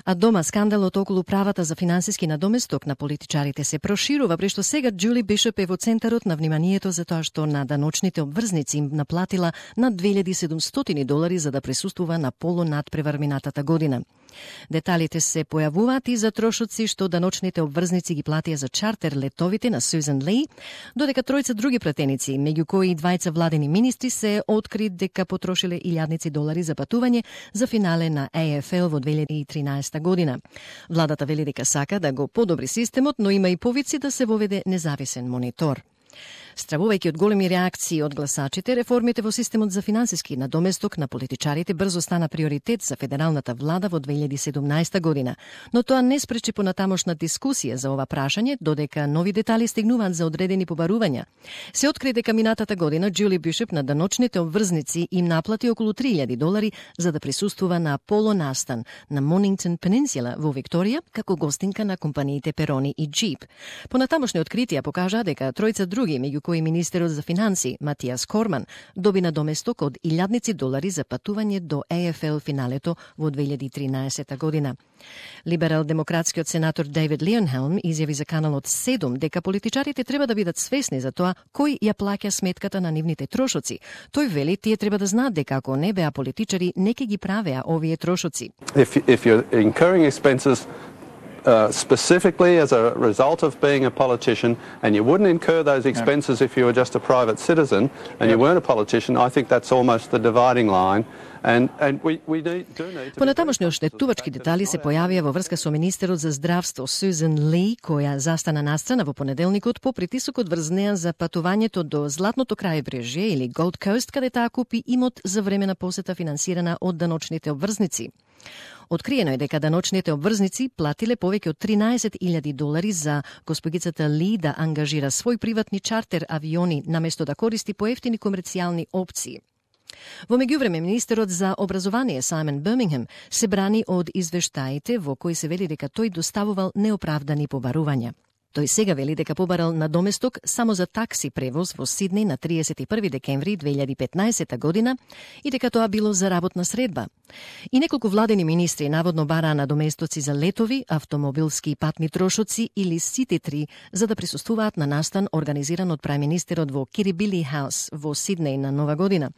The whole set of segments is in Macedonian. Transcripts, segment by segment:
А дома скандалот околу правата за финансиски надоместок на политичарите се проширува, прешто сега Џули Бишоп е во центарот на вниманието за тоа што на даночните обврзници им наплатила над $2,700 за да присуствува на полунадпревар минатата година. Деталите се појавуваат и за трошоци што даночните обврзници ги платија за чартер летовите на Сюзан Ли, додека тројца други пратеници, меѓу кои и двајца владени министри, се откри дека потрошиле $1,000 за патување за финале на AFL во 2013 година. Владата вели дека сака да го подобри системот, но има и повици да се воведе независен монитор. Стравувајќи од големи реакции од гласачите, реформите во системот за финансиски надоместок на политичарите брзо стана приоритет за федералната влада во 2017 година, но тоа не спречи понатамошна дискусија за ова прашање, додека нови детали стигнуваат за одредени побарувања. Се откри дека минатата година Џули Бишоп на даночните обврзници им наплати околу $3,000 за да присуствува на Аполо настан на Монингтон Пенинсула во Викторија како гостинка на компаниите Перони и Джип. Понатамошни откритија покажаа дека тројца други, меѓу кои министерот за финанси Матијас Корман, доби надоместок од $1,000 за патување до AFL финалето во 2013 година. Либерал-демократскиот сенатор Дейвид Лионхелм изјави за каналот 7 дека политичарите треба да бидат свесни за тоа кој ја плаќа сметката на нивните трошоци. Тој вели тие треба да знаат дека ако не беа политичари, не ќе ги правеа овие трошоци. If you're incurring expenses specifically as a result of being a politician, and you wouldn't incur those expenses if you were just a private citizen and you weren't a politician, I think that's almost the dividing line. And we do need to... Понатамошни оштетувачки детали се појавија во врска со министерот за здравство Сюзан Ли, која застана настрана во понеделникот по притисокот врз неа за патувањето до Златното крајбрежје или Gold Coast, каде таа купи имот за време на посета финансирана од даночните обврзници. Откриено е дека даночните обврзници платиле повеќе од $13,000 за госпогицата Ли да ангажира свој приватни чартер авиони наместо да користи поевтини комерцијални опции. Во меѓувреме, министерот за образование Саймон Бирмингем се брани од извештаите во кои се вели дека тој доставувал неоправдани побарувања. Тој сега вели дека побарал надоместок само за такси превоз во Сиднеј на 31 декември 2015 година и дека тоа било за работна средба. И неколку владени министри наводно бараа надоместоци за летови, автомобилски и патни трошоци или сите-3 за да присуствуваат на настан организиран од прајминистерот во Кирибили Хаус во Сиднеј на Нова година.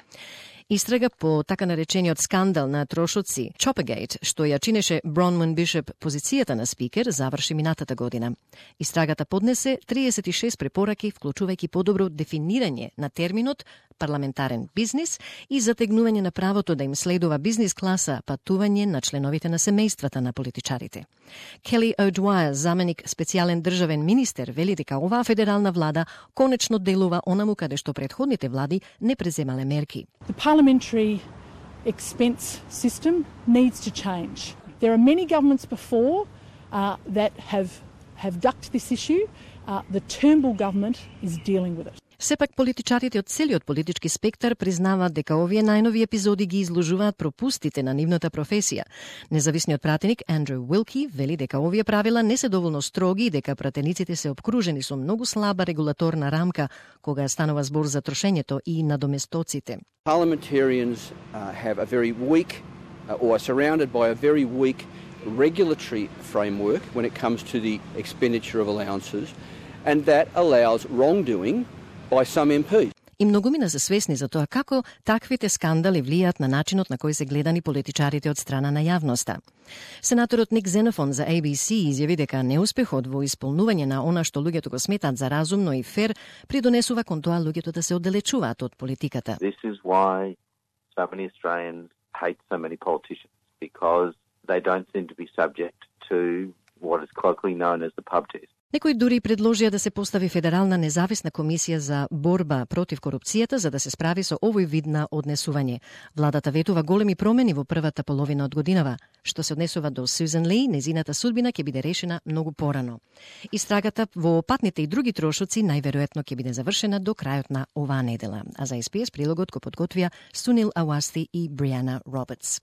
Истрага по така наречениот скандал на трошоци Choppergate, што ја чинеше Бронван Бишоп позицијата на спикер, заврши минатата година. Истрагата поднесе 36 препораки, вклучувајќи подобро дефинирање на терминот парламентарен бизнис и затегнување на правото да им следува бизнис класа патување на членовите на семејствата на политичарите. Кели О'Двајер, заменик специјален државен министер, вели дека оваа федерална влада конечно делува онаму каде што претходните влади не преземале мерки. The parliamentary expense system needs to change. There are many governments before that have ducked this issue. The Turnbull government is dealing with it. Сепак политичарите од целиот политички спектар признаваат дека овие најнови епизоди ги изложуваат пропустите на нивната професија. Независниот пратеник Андрю Уилки вели дека овие правила не се доволно строги и дека пратениците се обкружени со многу слаба регулаторна рамка кога станува збор за трошењето и надоместоците. Parliamentarians have a very weak or are surrounded by a very weak regulatory framework when it comes to the expenditure of allowances, and that allows wrongdoing by some MPs. И многумина се свесни за тоа како таквите скандали влијаат на начинот на кој се гледани политичарите од страна на јавноста. Сенаторот Ник Зенофон за ABC изјави дека неуспехот во исполнување на она што луѓето го сметаат за разумно и фер придонесува кон тоа луѓето да се оддалечуваат од политиката. This is why so many Australians hate so many politicians, because they don't seem to be subject to what is colloquially known as the pub test. Некои дури предложија да се постави федерална независна комисија за борба против корупцијата за да се справи со овој вид на однесување. Владата ветува големи промени во првата половина од годинава. Што се однесува до Сюзан Ли, незината судбина ќе биде решена многу порано. Истрагата во патните и други трошоци најверојатно ќе биде завршена до крајот на оваа недела. А за SPS прилогот го подготвија Сунил Ауасти и Бриана Робертс.